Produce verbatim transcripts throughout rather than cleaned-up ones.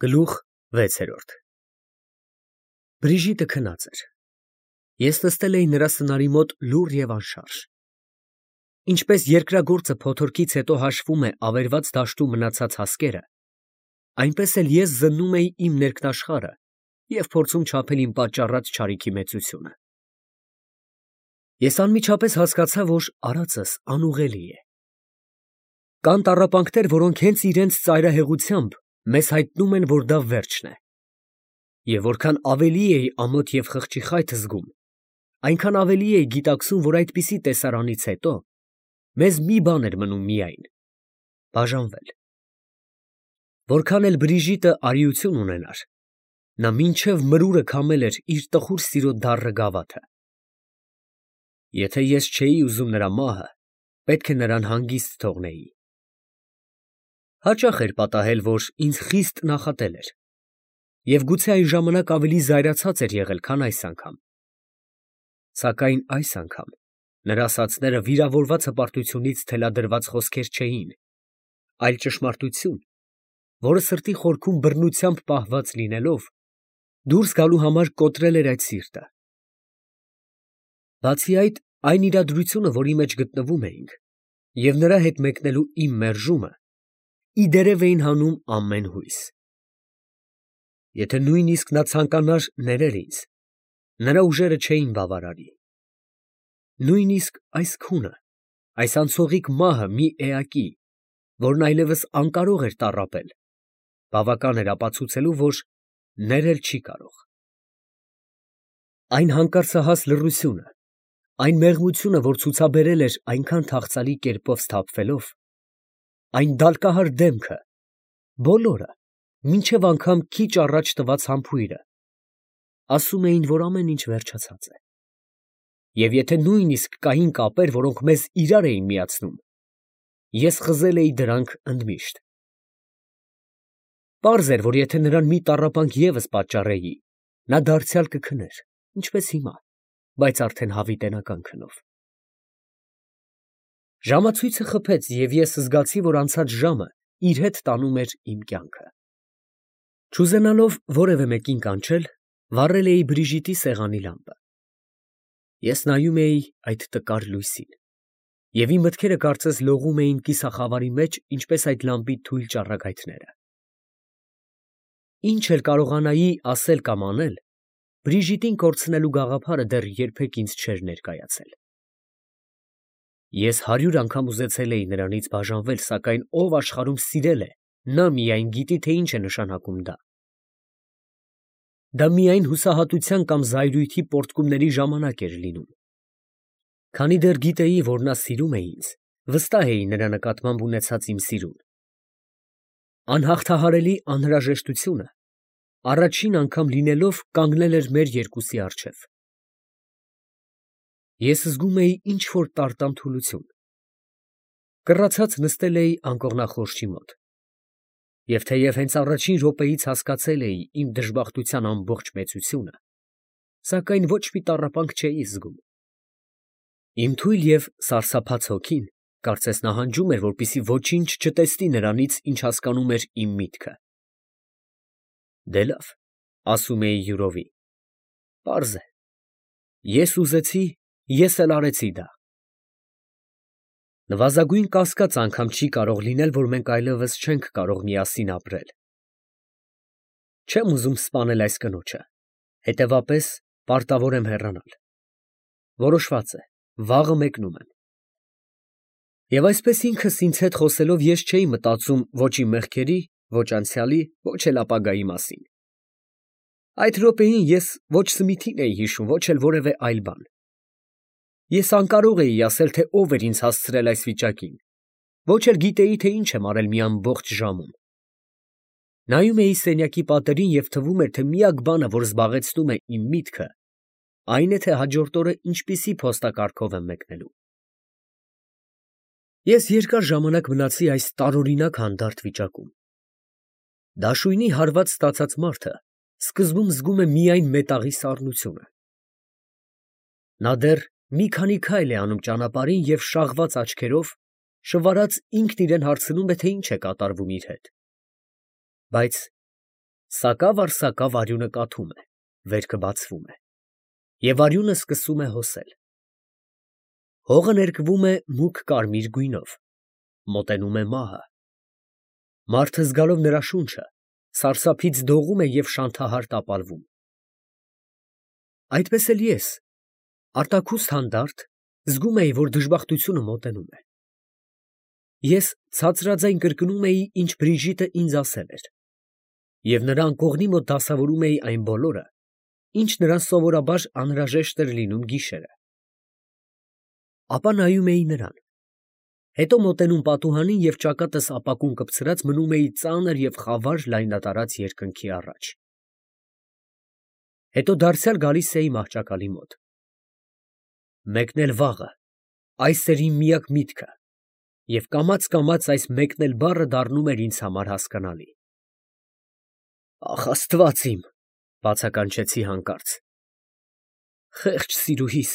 Գլուխ վեցերորդ Բրիժիտը քնած էր։ Ես նստել էի նրա սնարի մոտ լուռ և անշարժ։ Ինչպես երկրագործը փոթորկից հետո հաշվում է ավերված դաշտում մնացած հասկերը, այնպես էլ ես զննում էի իմ ներքնաշխարհը և փորձում չափել իմ պատճառած չարիքի մեծությունը։ Ես անմիջապես հասկացա, որ արածս անուղղելի է։ Կան տառապանքներ, որոնք հենց իրենց ծայրահեղությամբ մեզ հայտնում են, որ դա վերջն է։ Եվ որքան ավելի էի ամոթ և խղճի խայթ զգում, այնքան ավելի էի գիտակցում, որ այդպիսի տեսարանից հետո մեզ մի բան էր մնում միայն՝ բաժանվել։ Որքան էլ Բրիժիտը արիություն ունենար, նա մինչև մրուրը քամել էր իր տխուր սիրո դառը գավաթը։ Եթե ես չէի ուզում նրա մահը, պետք է նրան հանգիստ թողնեի։ Հաճախ էր պատահել, որ ինձ խիստ նախատել էր, և գուցե այն ժամանակ ավելի զայրացած էր եղել, քան այս անգամ։ Սակայն այս անգամ նրա ասածները վիրավորված հպարտությունից թելադրված խոսքեր չէին, այլ ճշմարտություն, որը սրտի խորքում բռնությամբ պահված լինելով, դուրս գալու համար կոտրել էր այդ սիրտը։ Բացի այդ, այն իրադրությունը, որի մեջ գտնվում էինք, և նրա հետ մեկնելու իմ մերժումը, ի դերև էին հանում ամեն հույս։ Եթե նույնիսկ նա ցանկանար ներել ինձ, նրա ուժերը չէին բավարարի։ Նույնիսկ այս քունը, այս անցողիկ մահը մի էակի, որն այլևս անկարող էր տառապել, բավական էր ապացուցելու, որ ներել չի կարող։ Այն հանկարծահաս լռությունը, այն մեղմությունը, որ ցուցաբերել էր այնքան թախծալի կերպով սթափվելով, այն դալկահար դեմքը, բոլորը, մինչև անգամ քիչ առաջ տված համբույրը, ասում էին, որ ամեն ինչ վերջացած է։ Եվ եթե նույնիսկ կային կապեր, որոնք մեզ իրար էին միացնում, ես խզել էի դրանք ընդմիշտ։ Պարզ էր, որ եթե նրան մի տառապանք ևս պատճառեի, նա դարձյալ կքներ, ինչպես հիմա, բայց արդեն հավիտենական քնով։ Ժամացույցը խփեց, և ես զգացի, որ անցած ժամը իր հետ տանում էր իմ կյանքը։ Չուզենալով որևէ մեկին կանչել, վառել էի Բրիժիտի սեղանի լամպը։ Ես նայում էի այդ տկար լույսին, և իմ մտքերը կարծես լողում էին կիսախավարի մեջ, ինչպես այդ լամպի թույլ ճառագայթները։ Ինչ էլ կարողանայի ասել կամ անել, Բրիժիտին կորցնելու գաղափարը դեռ երբեք ինձ չէր ներկայացել։ Ես հարյուր անգամ ուզեցել էի նրանից բաժանվել, սակայն ով աշխարհում սիրել է, նա միայն գիտի, թե ինչ է նշանակում դա։ Դա միայն հուսահատության կամ զայրույթի պոռթկումների ժամանակ էր լինում։ Քանի դեռ գիտեի, որ նա սիրում է ինձ, վստահ էի նրա նկատմամբ ունեցած իմ սիրուն։ Անհաղթահարելի անհրաժեշտությունը առաջին անգամ լինելով կանգնել էր մեր երկուսի առջև։ Ես զգում էի ինչ֊որ տարտան թուլություն։ Կռացած նստել էի անկողնախորշի մոտ, և թեև հենց առաջին րոպեից հասկացել էի իմ դժբախտության ամբողջ մեծությունը, սակայն ոչ մի տառապանք չէի զգում։ Իմ թույլ և սարսափած հոգին կարծես նահանջում էր, որպեսզի ոչինչ չտեսնի նրանից, ինչ հասկանում էր իմ միտքը։ Դե լավ, ասում էի յուրովի, պարզ է, ես ուզեցի, ես էլ արեցի դա։ Նվազագույն կասկած անգամ չի կարող լինել, որ մենք այլևս չենք կարող միասին ապրել։ Չեմ ուզում սպանել այս կնոջը, հետևապես պարտավոր եմ հեռանալ։ Որոշված է, վաղը մեկնում եմ։ Եվ այսպես ինքս ինձ հետ խոսելով ես չէի մտածում ոչ իմ մեղքերի, ոչ անցյալի, ոչ էլ ապագայի մասին։ Այդ րոպեին ես ոչ Սմիթին էի հիշում, ոչ էլ որևէ այլ բան։ Ես անկարող էի ասել, թե ով էր ինձ հասցրել այս վիճակին, ոչ էլ գիտեի, թե ինչ եմ արել մի ամբողջ ժամում։ Նայում էի սենյակի պատերին և թվում էր, թե միակ բանը, որ զբաղեցնում է իմ միտքը, այն է, թե հաջորդ օրը ինչպիսի փոստակարգով եմ մեկնելու։ Ես երկար ժամանակ մնացի այս տարօրինակ հանդարտ վիճակում։ Դաշույնի հարված ստացած մարդը սկզբում զգում է միայն մետաղի սառնությունը։ Նա դեռ մի քանի քայլ է անում ճանապարհին և շաղված աչքերով, շվարած ինքն իրան հարցնում է, թե ինչ է կատարվում իր հետ։ Բայց Սակավ առ սակավ արյունը կաթում է, վերքը բացվում է, և արյունը սկսում է հոսել։ Հողը ներկվում է մուգ կարմիր գույնով, մոտենում է մահը։ Մարդը զգալով նրա շունչը, սարսափից դողում է և շանթահար տապալվում։ Այդպես էլ ես, արտաքուստ հանդարտ, զգում էի, որ դժբախտությունը մոտենում է։ Ես ցածրաձայն կրկնում էի, ինչ Բրիժիտը ինձ ասել էր, և նրա անկողնի մոտ դասավորում էի այն բոլորը, ինչ նրան սովորաբար անհրաժեշտ էր լինում գիշերը։ Ապա նայում էի նրան, հետո մոտենում պատուհանին և ճակատս ապակուն կպցրած մնում էի ծանր և խավար լայնատարած երկնքի առաջ։ Հետո դարձյալ գալիս էի մահճակալի մոտ։ Մեկնել վաղը, այս էր իմ միակ միտքը, և կամաց֊կամաց այս մեկնել բառը դառնում էր ինձ համար հասկանալի։ «Ախ, աստված իմ», բացականչեցի հանկարծ, «խեղճ սիրուհիս,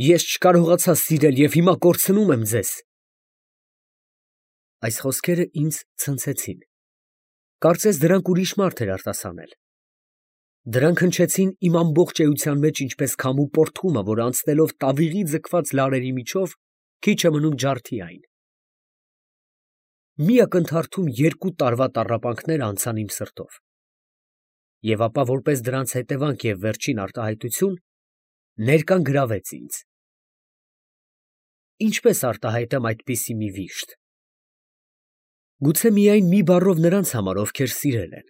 ես չկարողացա սիրել և հիմա կորցնում եմ ձեզ»։ Այս խոսքերը ինձ ցնցեցին, կարծես դրանք ուրիշ մարդ էր արտասանել։ Դրանք հնչեցին իմ ամբողջ էության մեջ ինչպես քամու պորտկումը, որ անցնելով տավիղի ձգված լարերի միջով, քիչ է մնում ջարդի այն։ Մի ակնթարթում երկու տարվա տառապանքներ անցան իմ սրտով, և ապա որպես դրանց հետևանք և վերջին արտահայտություն, ներկան գրավեց ինձ։ Ինչպե՞ս արտահայտեմ այդպիսի մի վիշտ։ Գուցե միայն մի բառով նրանց համար, ովքեր սիրել են։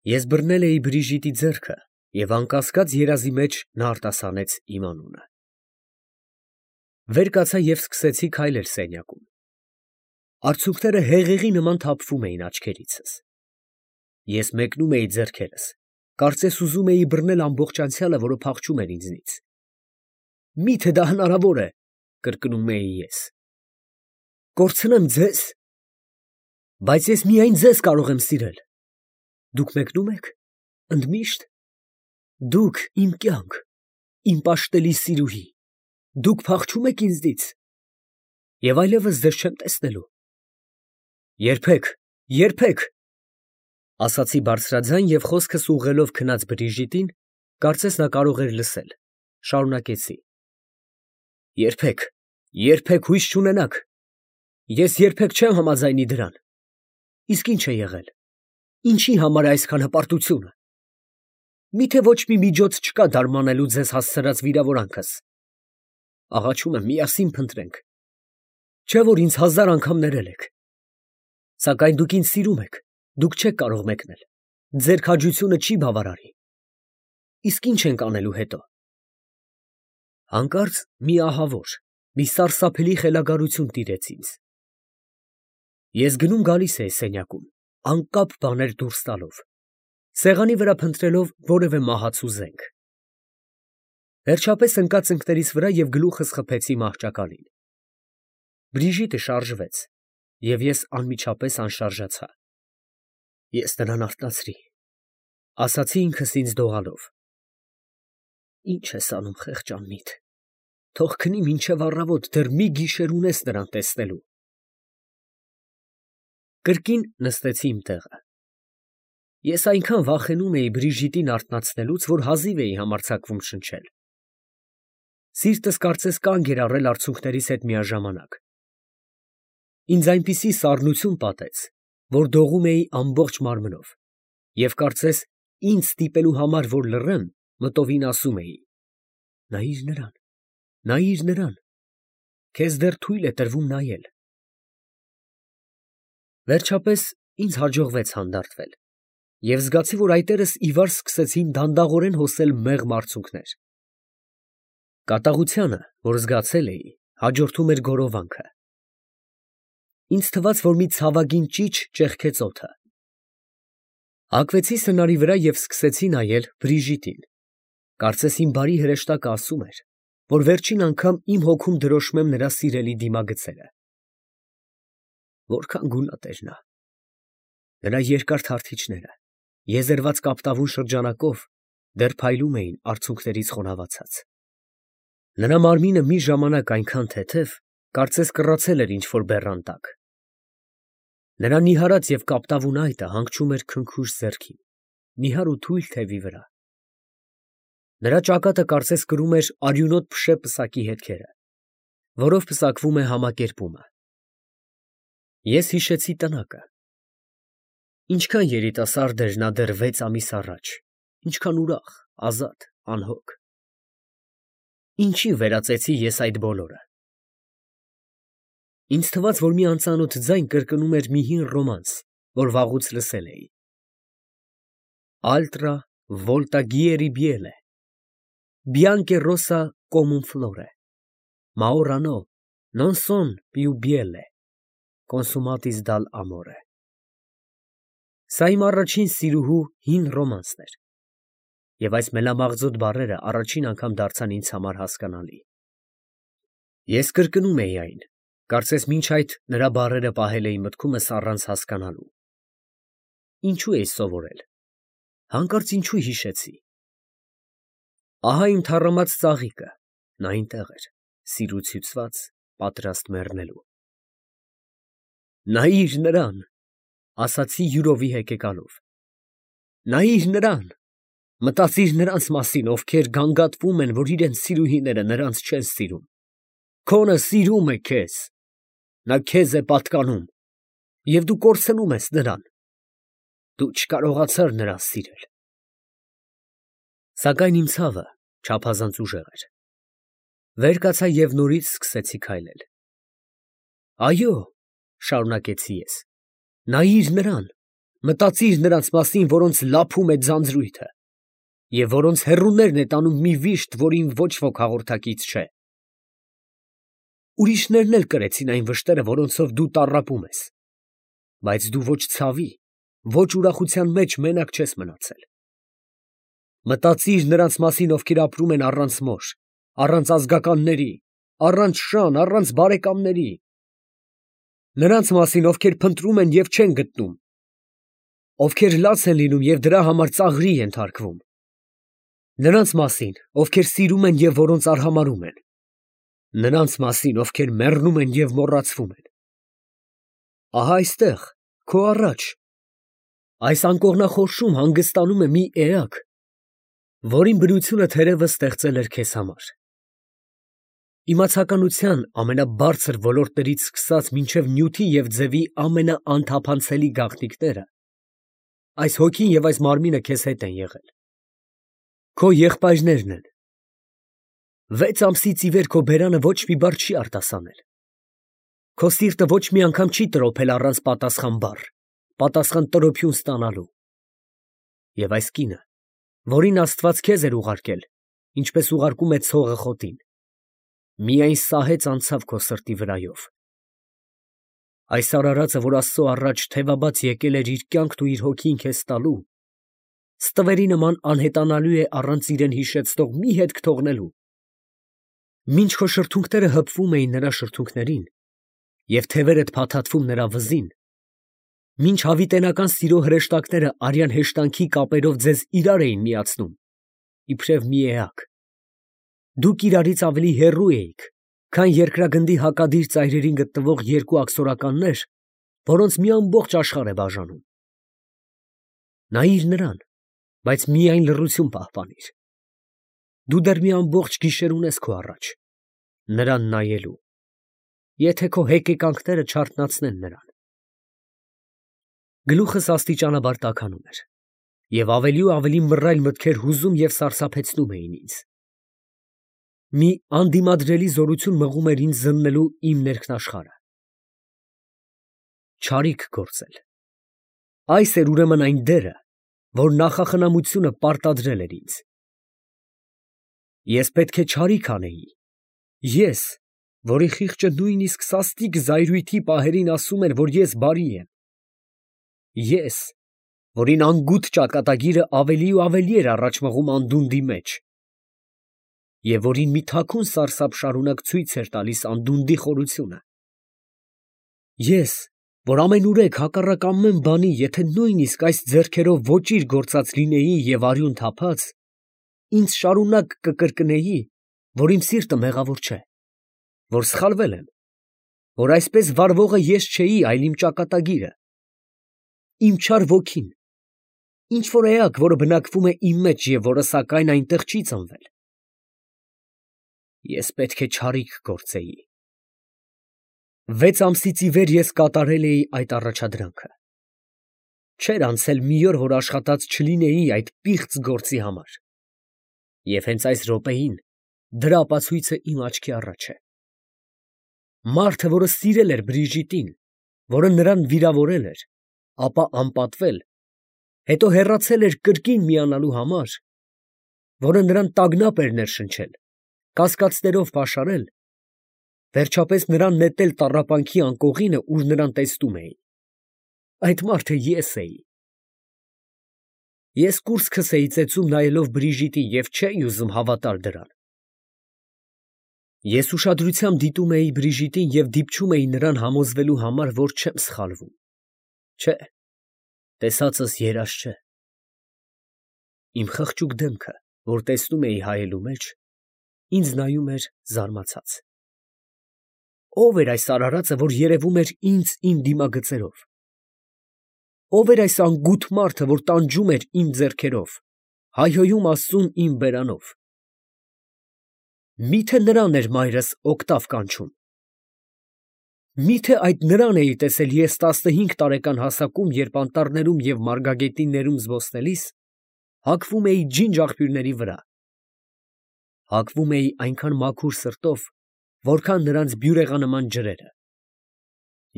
Ես բռնել էի Բրիժիտի ձեռքը, և անկասկած երազի մեջ նա արտասանեց իմ անունը։ Վեր կացա և սկսեցի քայլել սենյակում։ Արցունքները հեղեղի նման թափվում էին աչքերիցս։ Ես մեկնում էի ձեռքերս, կարծես ուզում էի բռնել ամբողջ անցյալը, որը փախչում էր ինձնից։ «Մի՞թե դա հնարավոր է», կրկնում էի ես։ «Կորցնեմ ձեզ։ Բայց ես միայն ձեզ կարող եմ սիրել։ Դուք մեկնո՞ւմ եք, ընդմիշտ։ Դուք, իմ կյանք, իմ պաշտելի սիրուհի, դուք փախչում եք ինձնից, և այլևս ձեզ չեմ տեսնելու»։ «Երբեք, երբեք», ասացի բարձրաձայն և խոսքս ուղղելով քնած Բրիժիտին, կարծես նա կարող էր լսել, շարունակեցի. «Երբեք, երբեք հույս չունենաք, ես երբեք չեմ համաձայնի դրան։ Իսկ ի՞նչ է եղել, ինչի համար է այսքան հպարտությունը։ Մի՞թե ոչ մի միջոց չկա դարմանելու ձեզ հասցրած վիրավորանքս։ Աղաչում եմ, միասին փնտրենք։ Չէ՞ որ ինձ հազար անգամ ներել եք։ Սակայն դուք ինձ սիրում եք, դուք չեք կարող մեկնել, ձեր քաջությունը չի բավարարի։ Իսկ ի՞նչ ենք անելու հետո»։ Հանկարծ մի ահավոր, մի սարսափելի խելագարություն տիրեց ինձ։ Ես գնում֊գալիս էի սենյակում, անկապ բաներ դուրս տալով, սեղանի վրա փնտրելով որևէ մահացու զենք։ Վերջապես ընկա ծնկներիս վրա և գլուխս խփեցի մահճակալին։ Բրիժիտը շարժվեց, և ես անմիջապես անշարժացա։ «Ես նրան արթնացրի», ասացի ինքս ինձ դողալով։ «Ի՞նչ ես անում, խեղճ անմիտ, թող քնի մինչև առավոտ, դեռ մի գիշեր ունես նրան տեսնելու»։ Կրկին նստեցի իմ տեղը։ Ես այնքան վախենում էի Բրիժիտին արթնացնելուց, որ հազիվ էի համարձակվում շնչել։ Սիրտս կարծես կանգ էր առել արցունքներիս հետ միաժամանակ։ Ինձ այնպիսի սառնություն պատեց, որ դողում էի ամբողջ մարմնով, և կարծես ինձ ստիպելու համար, որ լռեմ, մտովին ասում էի. «Նայիր նրան, նայիր նրան, քեզ դեռ թույլ է տրվում նայել»։ Վերջապես ինձ հաջողվեց հանդարտվել, և զգացի, որ այտերս ի վար սկսեցին դանդաղորեն հոսել մեղմ արցունքներ։ Կատաղությանը, որ զգացել էի, հաջորդում էր գորովանքը։ Ինձ թվաց, որ մի ցավագին ճիչ ճեղքեց օդը։ Հագվեցի սնարի վրա և սկսեցի նայել Բրիժիտին, կարծես իմ բարի հրեշտակը ասում էր, որ վերջին անգամ իմ հոգում դրոշմեմ նրա սիրելի դիմագծերը։ Որքան գունատ էր նա։ Նրա երկար թարթիչները, եզերված կապտավուն շրջանակով, դեռ փայլում էին արցունքներից խոնավացած։ Նրա մարմինը մի ժամանակ այնքան թեթև, կարծես կռացել էր ինչ֊որ բեռան տակ։ Նրա նիհարած և կապտավուն այտը հանգչում էր քնքուշ ձեռքին, նիհար ու թույլ թևի վրա։ Նրա ճակատը կարծես կրում էր արյունոտ փշե պսակի հետքերը, որով պսակվում է համակերպումը։ Ես հիշեցի տնակը։ Ինչքան երիտասարդ էր նա դեռ վեց ամիս առաջ, ինչքան ուրախ, ազատ, անհոգ։ Ինչի վերածեցի ես այդ բոլորը։ Ինձ թվաց, որ մի անծանոթ ձայն կրկնում էր մի հին ռոմանս, որ վաղուց լսել էի. Altra volta gieri biele, bianche rosa come un flore, ma ora no, non son più biele, consumatis dal amore։ Սա իմ առաջին սիրուհու հին ռոմանսն էր, և այս մելամաղձոտ բառերը առաջին անգամ դարձան ինձ համար հասկանալի։ Ես կրկնում էի այն, կարծես մինչ այդ նրա բառերը պահել էի մտքումս առանց հասկանալու։ Ինչու էի սովորել, հանկարծ ինչու հիշեցի։ Ահա իմ թառամած ծաղիկը, նա այնտեղ էր, սիրուց հյուծված, պատրաստ մեռնելու։ Նայիր նրան, ասացի յուրովի հեկեկալով։ Նայիր նրան, մտածիր նրանց մասին, ովքեր գանգատվում են, որ իրենց սիրուհիները նրանց չեն սիրում։ Քոնը սիրում է քեզ, նա քեզ է պատկանում, և դու կորցնում ես նրան։ Դու չկարողացար նրան սիրել։ Սակայն իմ ցավը չափազանց ուժեղ էր։ Վեր կացա և նորից սկսեցի քայլել։ Այո, շարունակեցի ես, նայիր նրան, մտածիր նրանց մասին, որոնց լափում է ձանձրույթը, և որոնց հեռուներն է տանում մի վիշտ, որին ոչ ոք հաղորդակից չէ։ Ուրիշներն էլ կրեցին այն վշտերը, որոնցով դու տառապում ես, բայց դու ոչ ցավի, ոչ ուրախության մեջ մենակ չես մնացել։ Մտածիր նրանց մասին, ովքեր ապրում են առանց մոր, առանց ազգականների, առանց շան, առանց բարեկամների։ Նրանց մասին, ովքեր փնտրում են և չեն գտնում, ովքեր լաց են լինում և դրա համար ծաղրի ենթարկվում։ Նրանց մասին, ովքեր սիրում են և որոնց արհամարհում են։ Նրանց մասին, ովքեր մեռնում են և մոռացվում են։ Ահա այստեղ, քո առաջ, այս անկողնախորշում հանգստանում է մի էակ, որին բնությունը թերևս ստեղծել էր քեզ համար։ Իմացականության ամենաբարձր ոլորտներից սկսած մինչև նյութի և ձևի ամենաանթափանցելի գաղտնիքները, այս հոգին և այս մարմինը քեզ հետ են եղել։ Քո եղբայրներն են։ Վեց ամսից ի վեր քո բերանը ոչ մի բառ չի արտասանել։ Քո սիրտը ոչ մի անգամ չի տրոփել առանց պատասխան բառ, պատասխան տրոփյուն ստանալու։ Եվ այս կինը, որին Աստված քեզ էր ուղարկել, ինչպես ուղարկում է ցողը խոտին, միայն սահեց անցավ քո սրտի վրայով։ Այս արարածը, որ Աստծո առաջ թևաբաց եկել էր իր կյանքն ու իր հոգին քեզ տալու, ստվերի նման անհետանալու է առանց իրեն հիշեցնող մի հետք թողնելու։ Մինչ քո շրթունքները հպվում էին նրա շրթունքներին, և թևերդ փաթաթվում նրա վզին, մինչ հավիտենական սիրո հրեշտակները արյան հեշտանքի կապերով ձեզ իրար էին միացնում, իբրև մի էակ, դուք իրարից ավելի հեռու էիք, քան երկրագնդի հակադիր ծայրերին գտնվող երկու աքսորականներ, որոնց մի ամբողջ աշխարհ է բաժանում։ Նայիր նրան, բայց միայն լռություն պահպանիր։ Դու դեռ մի ամբողջ գիշեր ունես քո առաջ, նրան նայելու, եթե քո հեկեկանքները չարթնացնեն նրան։ Գլուխս աստիճանաբար տաքանում էր, և ավելի ու ավելի մռայլ մտքեր հուզում և սարսափեցնում էին ինձ։ Մի անդիմադրելի զորություն մղում էր ինձ զննելու իմ ներքնաշխարհը։ Չարիք գործել։ Այս էր ուրեմն այն դերը, որ նախախնամությունը պարտադրել էր ինձ։ Ես պետք է չարիք անեի, ես, որի խիղճը նույնիսկ սաստիկ զայրույթի պահերին ասում էր, որ ես բարի եմ, ես, որին անգութ ճակատագիրը ավելի ու ավելի էր առաջ մղում անդունդի մեջ, և որին մի թաքուն սարսափ շարունակ ցույց էր տալիս անդունդի խորությունը։ Ես, որ ամենուրեք հակառակ ամեն բանի, եթե նույնիսկ այս ձեռքերով ոճիր գործած լինեի և արյուն թափած, ինձ շարունակ կկրկնեի, որ իմ սիրտը մեղավոր չէ, որ սխալվել եմ, որ այսպես վարվողը ես չէի, այլ իմ ճակատագիրը, իմ չար ոգին, ինչ որ էակ, որը բնակվում է իմ մեջ և որը սակայն այնտեղ չի ծնվել։ Ես պետք է չարիք գործեի։ Վեց ամսից ի վեր ես կատարել էի այդ առաջադրանքը։ Չէր անցել մի օր, որ աշխատած չլինեի այդ պիղծ գործի համար։ Եվ հենց այս րոպեին դրա ապացույցը իմ աչքի առաջ է։ Մարդը, որը սիրել էր Բրիժիտին, որը նրան վիրավորել էր, ապա անպատվել, հետո հեռացել էր կրկին միանալու համար, որը նրան տագնապ էր ներշնչել, կասկածներով պաշարել, վերջապես նրան նետել տառապանքի անկողինը, ուր նրան տեսնում էի։ Այդ մարդը ես էի։ Ես կուրծքս էի ծեծում նայելով Բրիժիտին և չէի ուզում հավատալ դրան։ Ես ուշադրությամբ դիտում էի Բրիժիտին և դիպչում էի նրան համոզվելու համար, որ չեմ սխալվում։ Չէ, տեսածս երազ չէ։ Իմ խղճուկ դեմքը, որ տեսնում էի հայելու մեջ, ինձ նայում էր զարմացած։ Ո՞վ էր այս արարածը, որ երևում էր ինձ իմ դիմագծերով։ Ո՞վ էր այս անգութ մարդը, որ տանջում էր իմ ձեռքերով, հայհոյում Աստծուն իմ բերանով։ Մի՞թե նրան էր մայրս օկտավ կանչում։ Մի՞թե այդ նրան էի տեսել ես տասնհինգ տարեկան հասակում, երբ անտառներում և մարգագետիններում զբոսնելիս հագվում էի ջինջ աղբյուրների վրա։ Հագվում էի այնքան մաքուր սրտով, որքան նրանց բյուրեղանման ջրերը։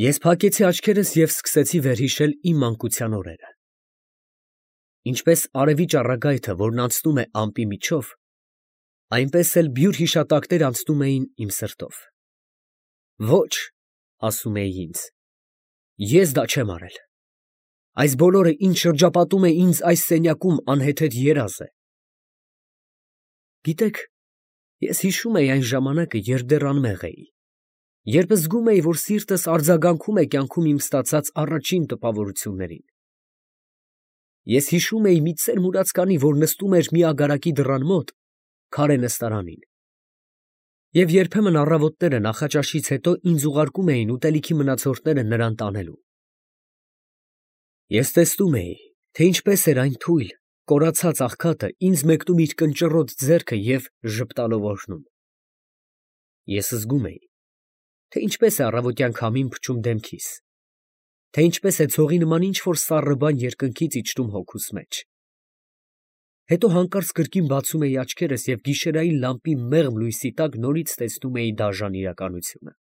Ես փակեցի աչքերս և սկսեցի վերհիշել իմ մանկության օրերը։ Ինչպես արևի ճառագայթը, որն անցնում է ամպի միջով, այնպես էլ բյուր հիշատակներ անցնում էին իմ սրտով։ Ոչ, ասում էի ինձ, ես դա չեմ արել։ Այս բոլորը, ինչ շրջապատում է ինձ այս սենյակում, անհեթեթ երազ է։ Գիտեք, ես հիշում էի այն ժամանակը, երբ դեռ անմեղ էի, երբ զգում էի, որ սիրտս արձագանքում է կյանքում իմ ստացած առաջին տպավորություններին։ Ես հիշում էի մի ծեր մուրացկանի, որ նստում էր մի ագարակի դռան մոտ, քարե նստարանին։ Եվ երբեմն առավոտները նախաճաշից հետո ինձ ուղարկում էին ուտելիքի մնացորդները նրան տանելու։ Ես տեսնում էի, թե ինչպես էր այն թույլ, կորացած աղքատը ինձ մեկնում իր կնճռոտ ձեռքը և ժպտալով օրհնում։ Ես զգում էի, թե ինչպես է առավոտյան քամին փչում դեմքիս, թե ինչպես է ցողի նման ինչ֊որ սառը բան երկնքից իջնում հոգուս մեջ։ Հետո հանկարծ կրկին բացում էի աչքերս և գիշերային լամպի մեղմ լույսի տակ նորից տեսնում էի դաժան իրականությունը։